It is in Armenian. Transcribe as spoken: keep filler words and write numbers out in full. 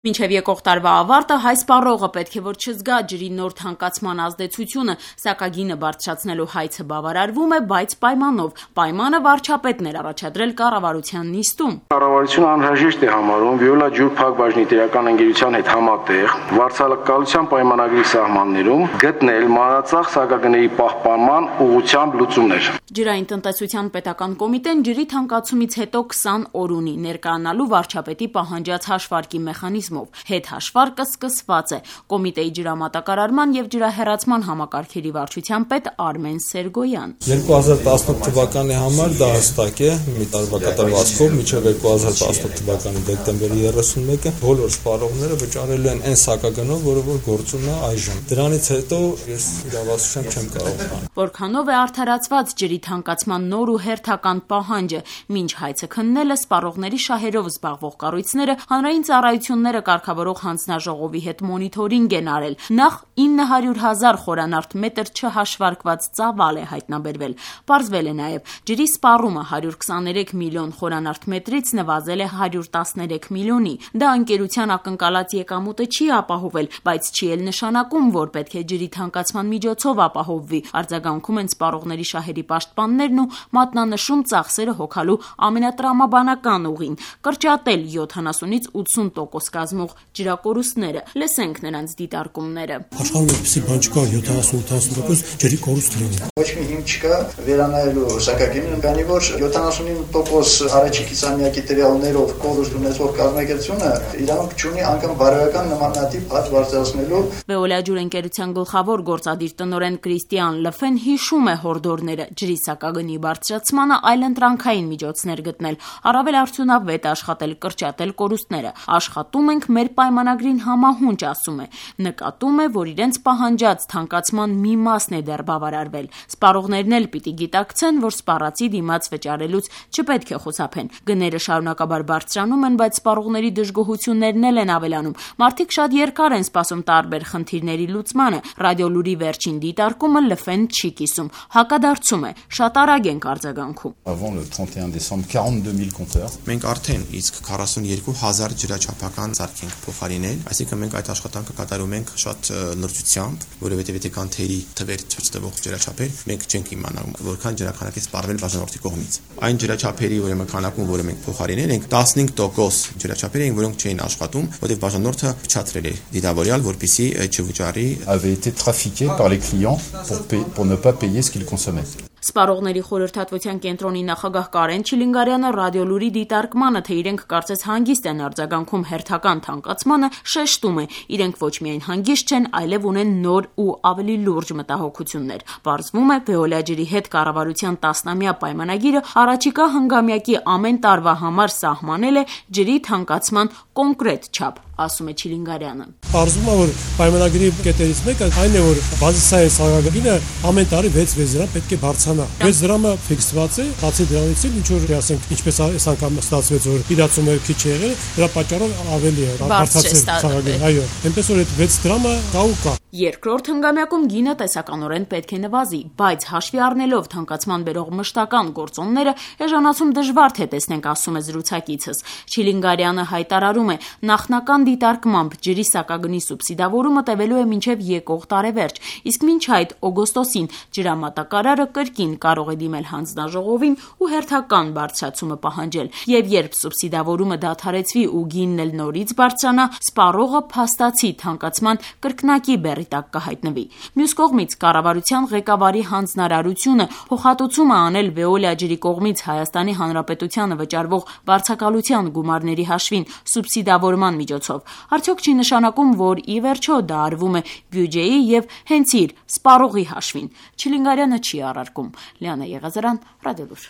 Մինչև եկող տարվա ավարտը հայ սպառողը պետք է որ չզգա ջրի նոր թանկացման ազդեցությունը, սակագինը բարձրացնելու հայցը բավարարվում է, բայց պայմանով։ Պայմանը վարչապետն էր առաջադրել կառավարության նիստում։ Կառավարությունը անհրաժեշտ է համարում Վիոլա ջուր փակbaşնի տերական ընկերության հետ համատեղ վարձակալության պայմանագրի սահմաններում գտնել մանրածախ սակագների պահպանման ուղղությամբ լուծումներ։ Ջրային տնտեսության պետական կոմիտեն ջրի թանկացումից հետո քսան օր ունի ներկայանալու վարչապետի պահանջած հաշվարկի մեխանիզմով։ Հետհաշվարկը սկսված է։ Կոմիտեի ջրամատակարարման եւ ջրահեռացման համակարգերի վարչության պետ Արմեն Սերգոյան։ երկու հազար տասնութ թվականի համար դա հստակ է, մի տարվա կատարվածքով մինչև երկու հազար տասնութ թվականի դեկտեմբերի երեսունմեկը բոլոր սպառողները վճարելու են այն սակագնով, որը որ գործում է այժմ։ Դրանից հետո ես իրավասության չեմ կարող անել։ Որքանով է արդարացված ջրի թանկացման նոր ու հերթական պահանջը, մինչ հայցը քննելը սպառողների շահերով զբաղվող կառույցները հանրային ծառայությունները կարգավորող հանձնաժողովի հետ մոնիթորինգ են արել։ Նախ ինը հարյուր հազար խորանարդ մետր չհաշվարկված ծավալ է հայտնաբերվել։ Պարզվել է նաև ջրի սպառումը հարյուր քսաներեք միլիոն խորանարդ մետրից նվազել է հարյուր տասներեք միլիոնի։ Դա ընկերության ակնկալած եկամուտը չի ապահովել, բայց չի էլ նշանակում, որ պետք է ջրի թանկացման միջոցով ապահովվի։ Արձագանքում են սպառողների շահերի պաշտպաններն ու մատնանշում ծախսերը հոգալու ամենատրամաբանական ուղին՝ կրճատել յոթանասունից ութսուն տոկոս կազմող ջրակորուստները։ Լսենք նրանց դիտարկումները։ Աշխարհում այդպիսի բան չկա, յոթանասուն ութանասուն տոկոս ջրի կորուստ լինի։ Ոչ մի հիմք չկա վերանայելու սակագինը, քանի որ յոթանասուն տոկոս առաջի կիսամյակի տվյալներով կորուստ ունեցող կազմակերպությունը իրավունք չունի անգամ բարոյական նմանատիպ հաճ բարձրացնելու։ Veolia ջուր ընկերության գլխավոր գործադիր տնօրեն Կրիստիան Լֆեն հիշում է հորդորները ջրի սակագնի բարձրացմանը այլընտրանքային միջոցներ գտնել, առավել արդյունավետ աշխատել, կրճատել կորուստները։ Աշխատում ենք մեր պայմանագրին համահունչ, ասում է։ Նկատում է, որ իրենց պահանջած թանկացման մի մասն է դեռ բավարարվել։ Սպառողներն էլ պիտի գիտակցեն, որ սպառածի դիմաց վճարելուց չպետք է խուսափեն։ Գները շարունակաբար բարձրանում են, բայց սպառողների դժգոհություններն էլ են ավելանում։ Մարդիկ շատ երկար են սպասում տարբեր խնդիրների լուծմանը։ Ռադիոլուրի վերջին դիտարկումը Լֆեն չի կիսում, հակադարձում է, շատ արագ ենք արձագանքում։ Avant le trente et un décembre quarante-deux mille compteurs։ Մենք արդեն իսկ քառասունյոթ հազար ջրաչափական սարք ենք փոխարինել, այսինքն մենք այդ աշխատանքը կատարում ենք շատ լրջությամբ, որովհետև եթե կան թերի թվեր ցույց ջրաչափեր, մենք չենք իմանալու որքան ջրաքանակից սպառվել բաժանորդի կողմից։ Այն ջրաչափերի, ուրեմն քանակում, որը մենք փոխարինել ենք, տասնհինգ տոկոս ջրաչափեր են, որոնք չէին աշխատում, որովհետև բաժանորդը փչացրել էր դիտավորյալ, որպեսզի չվճարի avait été trafiqué par les clients pour payer, pour ne pas payer ce qu'ils consommaient. Սպառողների խորհրդատվության կենտրոնի նախագահ Կարեն Չիլինգարյանը ռադիոլուրի դիտարկմանը, թե իրենք կարծես հանգիստ են արձագանքում հերթական թանկացմանը, շեշտում է, իրենք ոչ միայն հանգիստ չեն, այլև ունեն նոր ու ավելի լուրջ մտահոգություններ։ Պարզվում է, Veolia ջրի հետ կառավարության տասնամյա պայմանագիրը առաջիկա հնգամյակի ամեն տարվա համար սահմանել է ջրի թանկացման կոնկրետ չափ, ասում է Չիլինգարյանը։ Պարզվում է, որ պայմանագրի կետերից մեկը այն է, որ բազիսային սակագինը ամեն տարի վեց դրամ պետք է բարձրանա։ վեց դրամը ֆիքսված է, բացի դրանից էլ ինչ որ ասենք, ինչպես այս անգամ ստացվեց, որ իրացումը քիչ է եղել, դրա պատճառով ավելի է բարձրացել սակագինը։ Այո, այնպես որ այդ վեց դրամը կա ու կա։ Երկրորդ հնգամյակում գինը տեսականորեն պետք է նվազի, բայց հաշվի առնելով թանկացման բերող մշտական գործոնները, էժանացում դժվար թե տեսնենք, ասում է զրուցակիցս։ Չիլինգարյանը հայտարարում է, նախնական դիտարկմամբ ջրի սակագնի սուբսիդավորումը տևելու է մինչև եկող տարեվերջ, իսկ մինչ այդ օգոստոսին ջրամատակարարը կրկին կարող է դիմել հանձնաժողովին ու հերթական բարձրացումը պահանջել։ Եվ երբ սուբսիդավորումը դադարեցվի ու գինն էլ նորից բարձրանա, սպառողը փաստացի թանկացման կրկնակի բեռի տակ կհայտնվի։ Մյուս կողմից կառավարության ղեկավարի հանձնարարությունը փոխհատուցում է անել Veolia ջրի կողմից Հայաստանի Հանրապետությանը վճարվող վարձակալության գումարների հաշվին սուբսիդավորման միջոցով։ Արդյոք չի նշանակում, որ ի վերջո դա արվում է բյուջեի եւ հենց իր սպառողի հաշվին։ Չիլինգարյանը չի առարկում։ Լիանա Եղազարյան, Ռադիոլուր։